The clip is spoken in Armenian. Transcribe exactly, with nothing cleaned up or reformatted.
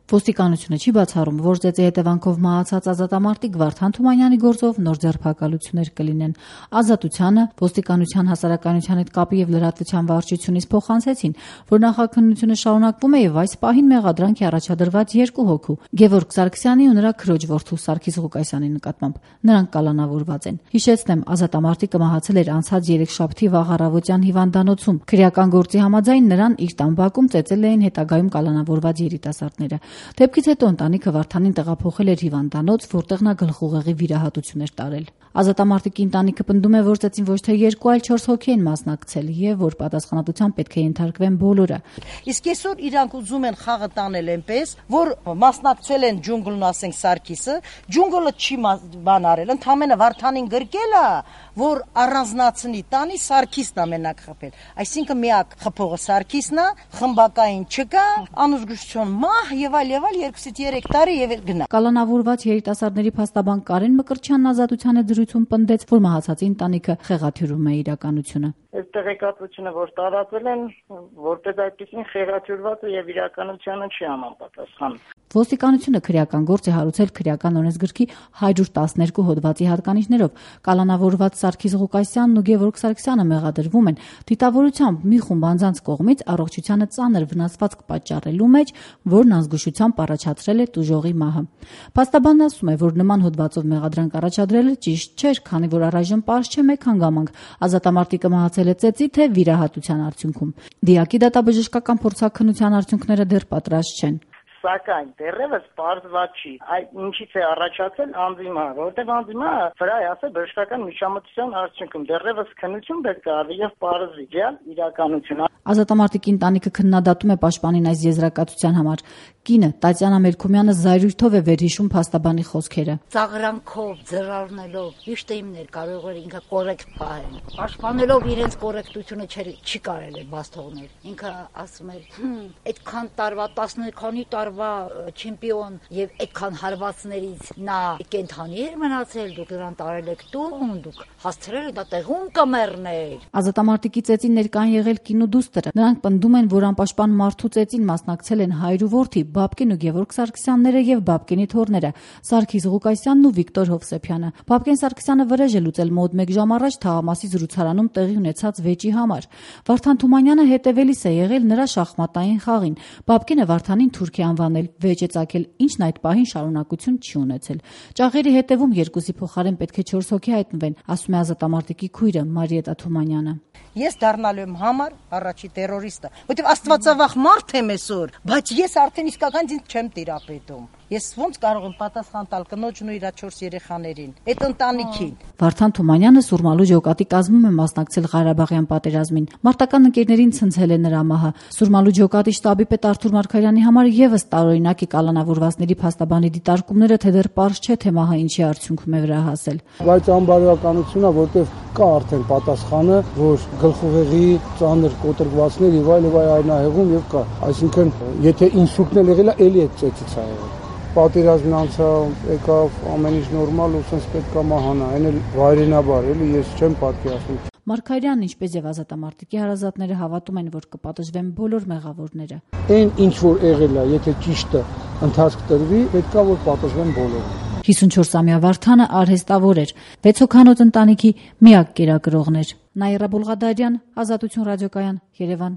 Ոստիկանությունը չի բացառում, որ ծեծի հետևանքով մահացած ազատամարտիկ Վարդան Թումանյանի գործով նոր ձերբակալություններ կլինեն։ Ազատությանը ոստիկանության հասարակայնության հետ կապի եւ լրատվության վարչությունից փոխանցեցին, որ նախաքննությունը շարունակվում է եւ այս պահին մեղադրանք է առաջադրված երկու հոգու՝ Գևորգ Սարգսյանի ու նրա քրոջ որդու Սարգիս Ղուկասյանի նկատմամբ։ Նրանք կալանավորված են։ Հիշեցնեմ, ազատամարտիկը մահացել էր անցած երեքշաբթի վաղ առավոտյան հիվանդանոցում։ Քրեական գործի համաձայն նրան իր տան բակում ծեծել էին հետագայում կալանավորված երիտասարդները։ Դեպքից հետո ընտանիքը Վարդանին տեղափոխել էր հիվանդանոց, որտեղ նա գլխուղեղի վիրահատություն էր տարել։ Ազատամարտիկի ընտանիքը պնդում է, որ ծեծին ոչ թե երկու, այլ չորս հոգի են մասնակցել եւ որ պատասխանատվության պետք է ենթարկվեն բոլորը։ Իսկ այսօր իրանք ուզում են խաղը տանել այնպես, որ մասնակցել են ջունգլն, ասենք Սարգիսը, ջունգլը չի բան արել, ընդամենը Վարդանին գրկել է, որ առանձնացնի տանի Սարգիսն է մենակ խփել։ Այսինքն միակ խփողը Սարգիսն է, խմբակային չկա, անուզգուշություն մահ եւ այլ եւ այլ երկուսից երեք տարի եւ գնա։ Կալանավորված երիտասարդների փաստաբան Կարեն Մկրտչյանն ազատության հետ զրույցում պնդեց, որ մահացածի ընտանիքը խեղաթյուրում է իրականությունը։ Այս տեղեկատվությունը, որ տարածել են, որպես այդպեսին խեղաթյուրված է եւ իրականությանը չի համապատասխանում։ Ոստիկանությունը քրեական գործ է հարուցել քրեական օրենսգրքի հարյուր տասներկու հոդվածի հատկանիշներով։ Կալանավորված Սարգիս Ղուկասյանն ու Գևորգ Սարգսյանը մեղադրվում են դիտավորությամբ մի խումբ անձանց կողմից առողջությանը ծանր վնասվածք պատճառելու մեջ, որն անզգուշությամբ առաջացրել է տուժողի մահը։ Փաստաբանն ասում է, որ նման հոդվածով մեղադրանք առաջադրելը ճիշտ չէր, քանի որ առայժմ պարզ չէ մեկ հանգամանք՝ ազատամարտիկը մահացել է ծեծի թե վիրահատության արդյունքում։ Դիակի դատաբժշկական փորձաքննության արդյունքները դեռ պատրաստ չեն։ Սակայն դեռևս պարզված չի, այդ ինչից է առաջացել անձի մահը, որտեղ անձի մահը վրա է ասել բժշկական միջամտության արդյունքում դեռևս քննություն պետք է արվի եւ պարզվի real իրականությունը։ Ազատամարտիկի ընտանիքը քննադատում է պաշտպանին այս եզրակացության համար։ Կինը Տատյանա Մելքումյանը զայրույթով է վերհիշում փաստաբանի խոսքերը։ Ծաղրանքով, ձրարնելով, ճիշտ է իմներ կարող էր ինքը կորեկտ պահել։ Պաշտպանելով իրենց կորեկտությունը չի կարելի բաց թողնել։ Ինքը ասում էր, այդքան տարվա տասնը քանի տարվա չեմպիոն եւ այդքան հարվածներից նա կենթանի էր մնացել, դուք նրան տարել եք տուն, դուք հասցրել եք դա տեղում կմեռներ։ Ազատամարտիկի ծեծին ներկան եղել կինու դուստրը։ Նրանք պնդում են, որ անպաշտպան մարդու ծեծին մասնակցել են հայր ու որդի Բաբկեն ու Գևորգ Սարգսյանները եւ Բաբկենի թոռները Սարգիս Ղուկասյանն ու Վիկտոր Հովսեփյանը։ Բաբկեն Սարգսյանը վրեժ է լուծել մոտ մեկ ժամ առաջ Թաղամասի զրուցարանում տեղի ունեցած վեճի համար։ Վարդան Թումանյանը հետևելիս է եղել նրա շախմատային խաղին։ Բաբկենը Վարդանին թուրք է անվանել, վեճ է ծագել, ինչն այդ պահին շարունակություն չի ունեցել։ Ճաղերի հետևում երկուսի փոխարեն պետք է չորս հոգի հայտնվեն, ասում է ազատամարտիկի քույրը Մարիետա Թումանյանը։ Ես դառնալու եմ համար առաջի terroristը, որտեղ աստվածավախ մարդ եմ այսօր, բայց ես արդեն իսկական ինձ չեմ տիրապետում։ Ես ոնց կարող եմ պատասխան տալ կնոջն ու իր չորս երեխաներին, այդ ընտանիքին։ Վարդան Թումանյանը Սուրմալու ջոկատի կազմում է մասնակցել Ղարաբաղյան պատերազմին։ Մարտական ընկերներին ցնցել է նրա մահը։ Սուրմալու ջոկատի շտաբի պետ Արթուր Մարգարյանի համար եւս տարօրինակ է կալանավորվածների փաստաբանի դիտարկումները, թե դեռ պարզ չէ, թե մահը ինչի արդյունքում է վրա հասել։ Բայց անբարոյականությունն է, որտեղ կա արդեն պատասխանը, որ գլխուղեղի ծանր կոտրվածներ եւ այլ եւ այլ այնահեղում եւ կա։ Այսինքն, եթե ինսուլտն էլ եղել է, էլի է ծեծից ա եղել։ Պատերազմն անցավ, եկավ, ամեն ինչ նորմալ ու sense պետք է մահանա, այն էլ վայրենաբար, էլի ես չեմ պատկերացնում։ Մարգարյանն, ինչպես եւ ազատամարտիկի հարազատները հավատում են, որ կպատժվեն բոլոր մեղավորները։ Այն ինչ որ եղել է, եթե ճիշտը ընթացք տրվի, պետք է որ պատժվեն բոլորը։ հիսունչորսամյա Վարդանը արհեստավոր էր, վեց հոգանոց ընտանիքի միակ կերակրողն էր։ Նաիրա Բուլղադարյան, Ազատություն ռադիոկայան, Երևան։